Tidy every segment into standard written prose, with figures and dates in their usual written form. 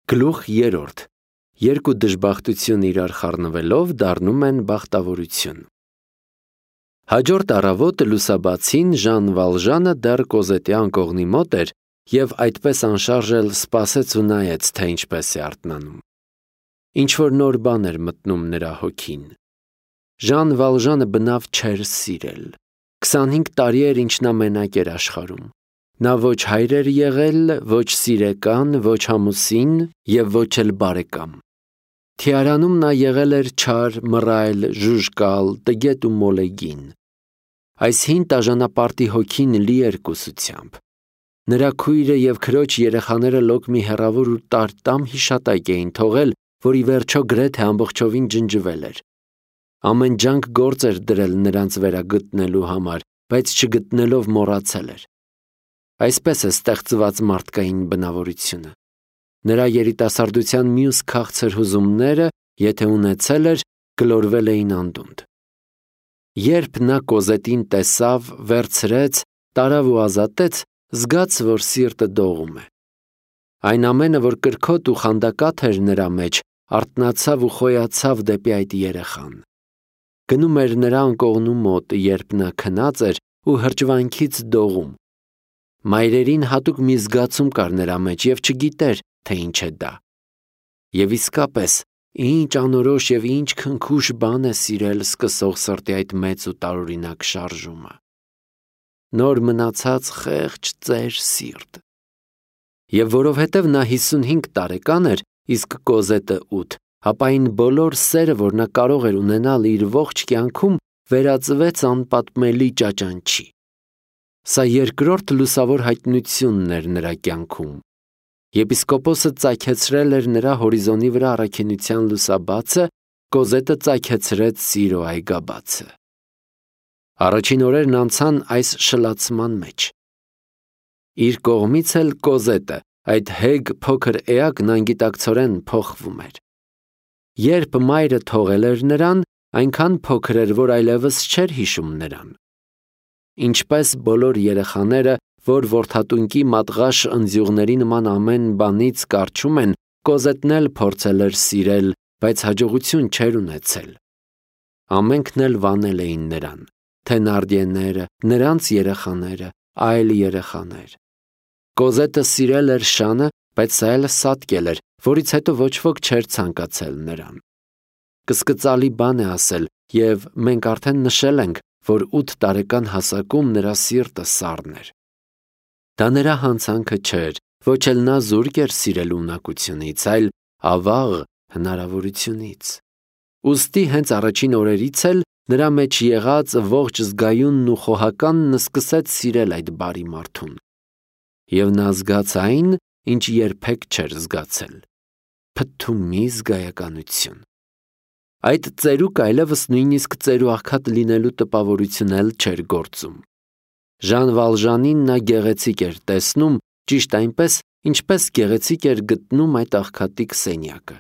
Գլուխ 3. Երկու դժբախտություն իրար խառնվելով դառնում են բախտավորություն։ Հաջորդ առավոտը լուսաբացին Ժան Վալժանը դեռ Կոզետի անկողնի մոտ էր և այդպես անշարժ էլ սպասեց ու նայեց, թե ինչպես է արթնանում։ Ինչ-որ նոր բան էր մտնում նրա հոգին։ Ժան Վալժանը բնավ չէր սիրել։ 25 տարի էր, ինչ նա մենակ էր աշխարհում։ Նա ոչ հայր էր եղել, ոչ սիրեկան, ոչ ամուսին և ոչ էլ բարեկամ։ Թիարանում նա եղել էր չար, մռայլ, ժուժկալ, տգետ ու մոլեգին։ Այս հին տաժանապարտի հոգին լի էր կուսությամբ։ Նրա քույրը և քրոջ երեխաները լոկ մի հեռավոր ու տարտամ հիշատակ էին թողել, որ ի վերջո գրեթե ամբողջովին ջնջվել էր։ Ամեն ջանք գործ էր դրել նրանց վերագտնելու համար, բայց չգտնելով մոռացել էր։ Այսպես է ստեղծված մարդկային բնավորությունը։ Նրա երիտասարդության մյուս քաղցր հուզումները, եթե ունեցել էր, գլորվել էին անդունդ։ Երբ նա Կոզետին տեսավ, վերցրեց, տարավ ու ազատեց, զգաց, որ սիրտը դողում է։ Այն ամենը, որ կրքոտ ու խանդակաթ էր նրա մեջ, արթնացավ ու խոյացավ դեպի այդ երեխան։ Գնում էր նրա անկողնու մոտ, երբ նա քնած էր ու հրճվանքից դողում։ Մայրերին հատուկ մի զգացում կար նրա մեջ և չգիտեր, թե ինչ է դա։ Եվ իսկապես, ինչ անորոշ և ինչ քնքուշ բան է սիրել սկսող սրտի այդ մեծ ու տարօրինակ շարժումը։ Նոր մնացած խեղճ ծեր սիրտ։ Եվ որովհետև նա 55 տարեկան էր, իսկ Կոզետը 8, ապա այն բոլոր սերը, որ նա կարող էր ունենալ իր ողջ կյանքում, վերածվեց անպատմելի ճաճանչի։ Սա երկրորդ լուսավոր հայտնությունն էր նրա կյանքում։ Եպիսկոպոսը ծագեցրել էր նրա հորիզոնի վրա առաքինության լուսաբացը, Կոզետը ծագեցրեց սիրո այգաբացը։ Առաջին օրերն անցան այս շլացման մեջ։ Իր կողմից էլ Կոզետը, այդ հեգ փոքր էակն անգիտակցորեն փոխվում էր։ Երբ մայրը թողել էր նրան, այնքան փոքր էր, որ այլևս չէր հիշում նրան։ Ինչպես բոլոր երեխաները, որ որդատունկի մատղաշ ընձյուղների նման ամեն բանից կառչում են, Կոզետն էլ փորձել էր սիրել, բայց հաջողություն չէր ունեցել։ Ամենքն էլ վանել էին նրան, Թենարդիեները, նրանց երեխաները, այլ երեխաներ։ Կոզետը սիրել էր շանը, բայց սա էլ սատկել էր, որից հետո ոչ ոք չէր ցանկացել նրան։ Կսկծալի բան է ասել, և մենք արդեն նշել ենք, որ 8 տարեկան հասակում նրա սիրտը սառն էր։ Դա նրա հանցանքը չէր, ոչ էլ նա զուրկ էր սիրելու ունակությունից, այլ ավաղ հնարավորությունից։ Ուստի հենց առաջին օրերից էլ նրա մեջ եղած ողջ զգայունն ու խոհականն սկսեց սիրել այդ բարի մարդուն։ Եվ նա զգաց այն, ինչ երբեք չէր զգացել՝ փթթումի զգայականություն։ Այդ ծերուկ այլևս նույնիսկ ծերուաղքատ լինելու տպավորություն էլ չէր գործում։ Ժան Վալժանին նա գեղեցիկ էր տեսնում, ճիշտ այնպես, ինչպես գեղեցիկ էր գտնում այդ աղքատի սենյակը։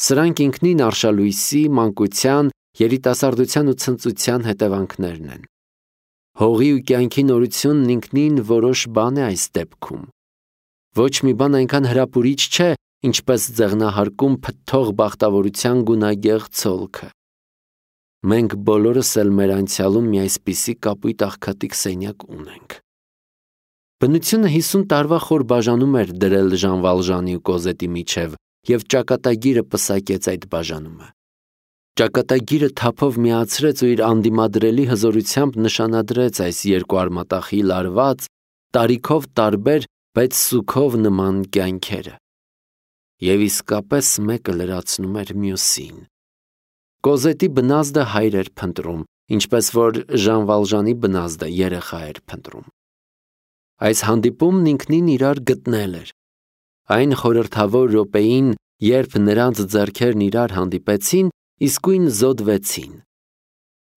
Սրանք ինքնին արշալույսի, մանկության, երիտասարդության ու ցնծության հետևանքներն են։ Հողի ու կյանքի նորությունն ինքնին որոշ բան է այս դեպքում։ Ոչ մի բան այնքան հրապուրիչ չէ, ինչպես ձեղնահարկում փթթող բախտավորության գունագեղ ցոլքը։ Մենք բոլորս էլ մեր անցյալում մի այսպիսի կապույտ աղքատիկ սենյակ ունենք։ Բնությունը 50 տարվա խոր բաժանում էր դրել Ժան Վալժանի ու Կոզետի միջև, և ճակատագիրը պսակեց այդ բաժանումը։ Ճակատագիրը թափով միացրեց ու իր անդիմադրելի հզորությամբ նշանադրեց այս երկու արմատախիլ լարված, տարիքով տարբեր, բայց սուգով նման կյանքերը։ Եվ իսկապես մեկը լրացնում էր մյուսին։ Կոզետի բնազդը հայր էր փնտրում, ինչպես որ Ժան Վալժանի բնազդը երեխա էր փնտրում։ Այս հանդիպումն ինքնին իրար գտնել էր։ Այն խորհրդավոր րոպեին, երբ նրանց ձեռքերն իրար հանդիպեցին, իսկույն զոդվեցին։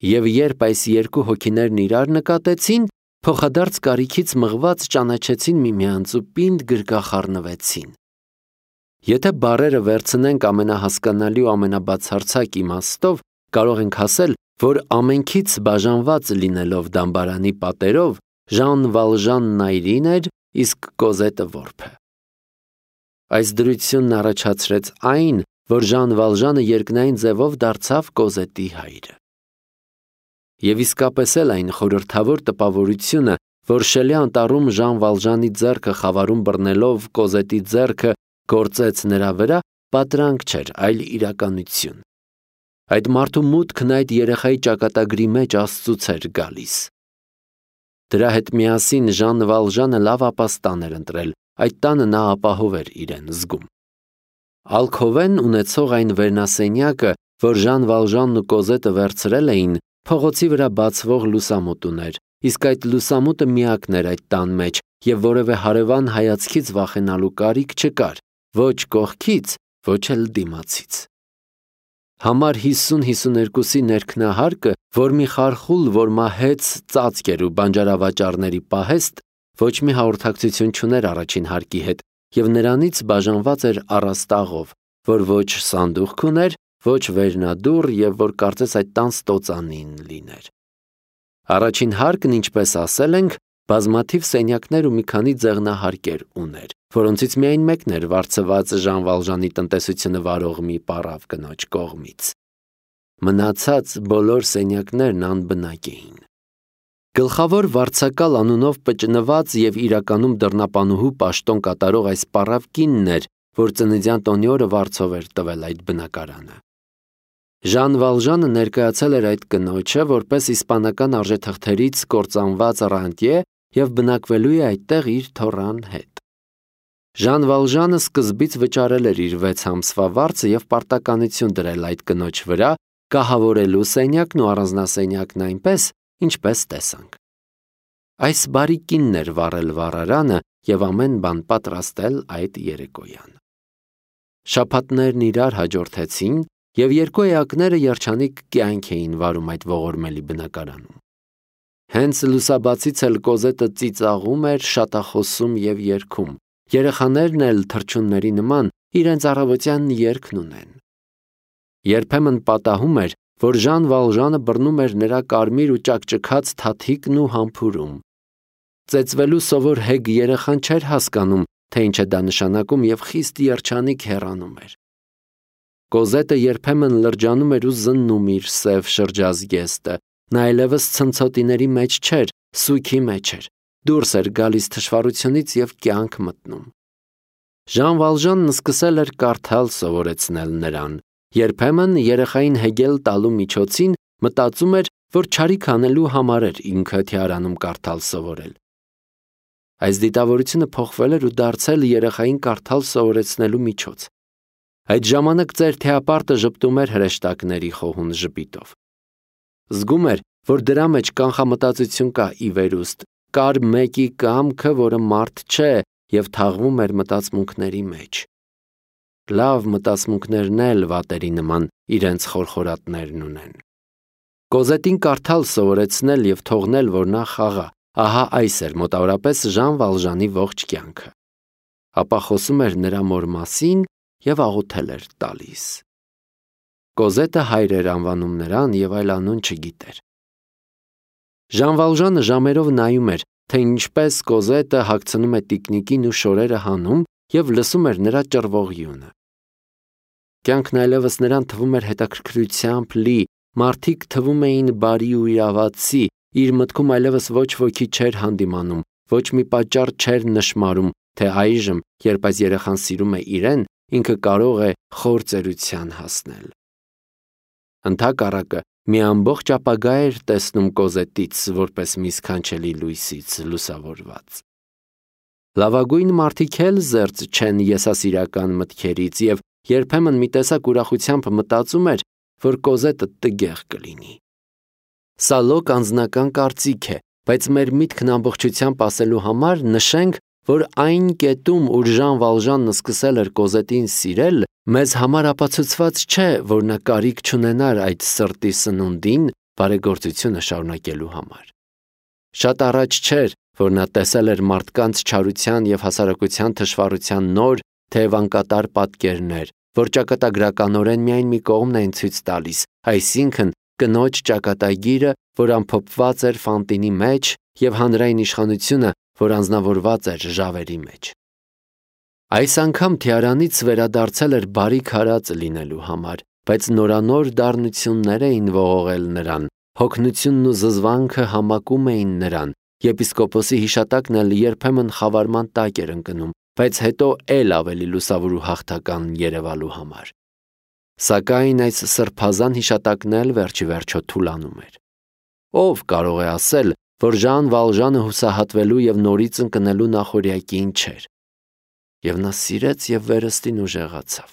Եվ երբ այս երկու հոգիներն իրար նկատեցին, փոխադարձ կարիքից մղված ճանաչեցին միմյանց ու պինդ գրկախառնվեցին։ Եթե բառերը վերցնենք ամենահասկանալի ու ամենաբացարձակ իմաստով, կարող ենք ասել, որ ամենքից բաժանված լինելով դամբարանի պատերով, Ժան Վալժանն այրին էր, իսկ Կոզետը որբը։ Այս դրությունն առաջացրեց այն, որ Ժան Վալժանը երկնային ձևով դարձավ Կոզետի հայրը։ Եվ իսկապես էլ այն խորհրդավոր տպավորությունը, որ Շելի անտառում Ժան Վալժանի ձեռքը խավարում բռնելով Կոզետի ձեռքը գործեց նրա վրա, պատրանք չէր, այլ իրականություն։ Այդ մարդու մուտքն այդ երեխայի ճակատագրի մեջ Աստծուց էր գալիս։ Դրա հետ միասին Ժան Վալժանը լավ ապաստան էր ընտրել, այդ տանը նա ապահով էր իրեն զգում։ Ալքովեն ունեցող այն վերնասենյակը, որ Ժան Վալժանն ու Կոզետը վերցրել էին, փողոցի վրա բացվող լուսամուտ ուներ, իսկ այդ լուսամուտը միակն էր այդ տան մեջ, եւ որևէ հարևան հայացքից վախենալու կարիք չկար, ոչ կողքից, ոչ էլ դիմացից։ Համար 50-52-ի ներքնահարկը, որ մի խարխուլ, որ մահեց ծածկ էր ու բանջարավաճառների պահեստ, ոչ մի հաղորդակցություն չուներ առաջին հարկի հետ, եւ նրանից բաժանված էր առաստաղով, որ ոչ սանդուղք ուներ, ոչ վերնադուռ եւ որ կարծես այդ տան ստոծանին լիներ։ Առաջին հարկն, ինչպես ասել ենք, բազմաթիվ սենյակներ ու մի քանի ձեղնահարկեր ուներ, որոնցից միայն մեկն էր վարձված Ժան Վալժանի տնտեսությունը վարող մի պարավ կնոջ կողմից։ Մնացած բոլոր սենյակներն անբնակ էին։ Գլխավոր վարձակալ անունով պճնված եւ իրականում դռնապանուհու պաշտոն կատարող այս պարավ կինն էր, որ ծննդյան տոնի օրը վարձով էր տվել այդ բնակարանը։ Ժան Վալժանը ներկայացել էր այդ կնոջը որպես իսպանական արժեթղթերից կործանված ռանտյե եւ բնակվելու է այդտեղ իր թոռան հետ։ Ժան Վալժանը սկզբից վճարել էր իր 6 ամսվա վարձը եւ պարտականություն դրել այդ կնոջ վրա, կահավորելու սենյակն ու առանձնասենյակն այնպես, ինչպես տեսանք։ Այս բարի կինն էր վառել վառարանը եւ ամեն բան պատրաստել այդ երեկոյան։ Շաբաթներն իրար հաջորդեցին եւ երկու էակները երջանիկ կյանք էին վարում այդ ողորմելի բնակարանում։ Հենց լուսաբացից էլ Կոզետը ծիծաղում էր, շատախոսում եւ երգում։ Երեխաներն էլ թռչունների նման իրենց առավոտյան երգն ունեն։ Երբեմն պատահում էր, որ Ժան Վալժանը բռնում էր նրա կարմիր ու ճակճքած թաթիկն ու համբուրում։ Ծեծվելու սովոր հեգ երեխան չէր հասկանում, թե ինչ է դա նշանակում եւ խիստ երջանիկ հեռանում էր։ Կոզետը երբեմն լրջանում էր ու զննում իր սև շրջազգեստը, նա այլևս ցնցոտիների մեջ չէր, սույքի մեջ էր, դուրս էր գալիս թշվառությունից եւ կյանք մտնում։ Ժան Վալժանն սկսել էր կարդալ սովորեցնել նրան, երբեմն երեխային հեգել տալու միջոցին մտածում էր, որ չարիք անելու համար էր ինքը թիարանում կարդալ սովորել։ Այս դիտավորությունը փոխվել էր ու դարձել երեխային կարդալ սովորեցնելու միջոց։ Այդ ժամանակ ծեր թեապարտը ժպտում էր հրեշտակների խոհուն ժպիտով։ Զգում էր, որ դրա մեջ կանխամտածություն կա ի վերուստ, կար մեկի կամքը, որը մարդ չէ եւ թաղվում էր մտածմունքների մեջ։ Լավ մտածմունքներն էլ վատերի նման իրենց խորխորատներն ունեն։ Կոզետին կարդալ սովորեցնել եւ թողնել, որ նա խաղա, ահա այս էր մոտավորապես Ժան Վալժանի ողջ կյանքը։ Ապա խոսում էր նրա մոր մասին եւ աղոթել էր տալիս։ Կոզետը հայր էր անվանում նրան եւ այլ անուն չգիտեր։ Ժան Վալժանը ժամերով նայում էր, թե ինչպես Կոզետը հագցնում է տիկնիկին ու շորերը հանում եւ լսում էր նրա ճռվող յունը։ Կյանքն այլևս նրան թվում էր հետաքրքրությամբ լի, մարդիկ թվում էին բարի ու իրավացի, իր մտքում այլևս ոչ ոքի չէր հանդիմանում, ոչ մի պատճառ չէր նշмарում, թե այժմ, երբ այս երեխան սիրում է իրեն, ինքը կարող է խոր ծերության հասնել։ Ընդհակառակը մի ամբողջ ապագա էր տեսնում Կոզետից, որպես մի սքանչելի լույսից լուսավորված։ Լավագույն մարդիկ էլ զերծ չեն եսասիրական մտքերից եւ երբեմն մի տեսակ ուրախությամբ մտածում էր, որ Կոզետը տգեղ կլինի։ Սա լոկ անձնական կարծիք է, բայց մեր միտքն ամբողջությամբ ասելու համար նշենք, որ այն կետում, ուր Ժան Վալժանն սկսել էր Կոզետին սիրել, մեզ համար ապացուցված չէ, որ նա կարիք չունենար այդ սրտի սնունդին բարեգործությունը շարունակելու համար։ Շատ առաջ չէր, որ նա տեսել էր մարդկանց չարության եւ հասարակության թշվառության նոր, թեև անկատար պատկերներ, որ ճակատագրականորեն միայն մի կողմն են ցույց տալիս, այսինքն կնոջ ճակատագիրը, որ ամփոփված էր Ֆանտինի մեջ, եւ հանրային իշխանությունը, որ անձնավորված էր ժավերի մեջ։ Այս անգամ թիարանից վերադարձել էր բարի քարածը լինելու համար, բայց նորանոր դառնություններ էին ողողել նրան, հոգնությունն ու զզվանքը համակում էին նրան, եպիսկոպոսի հիշատակն էլ երբեմն խավարման տակ էր ընկնում, բայց հետո էլ ավելի լուսավոր ու հաղթական երևալու համար։ Սակայն այս սրբազան հիշատակն էլ վերջիվերջո թուլանում էր։ Ով կարող է ասել, որ Ժան Վալժանը հուսահատվելու և նորից ընկնելու նախօրյակին չէր։ Եվ նա սիրեց և վերստին ուժեղացավ։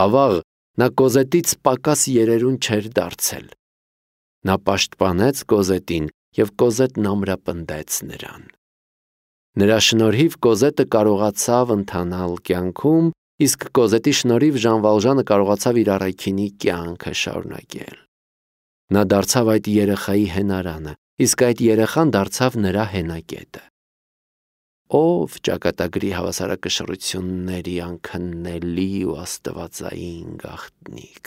Ավաղ նա Կոզետից պակաս երերուն չէր դարձել։ Նա պաշտպանեց Կոզետին և Կոզետն ամրապնդեց նրան։ Նրա շնորհիվ Կոզետը կարողացավ ընթանալ կյանքում, իսկ Կոզետի շնորհիվ Ժան Վալժանը կարողացավ իր առաքինի կյանքը շարունակել։ Նա դարձավ այդ երեխայի հենարանը, իսկ այդ երեխան դարձավ նրա հենակետը։ Ով ճակատագրի հավասարակշռությունների անքննելի ու աստվածային գաղտնիք։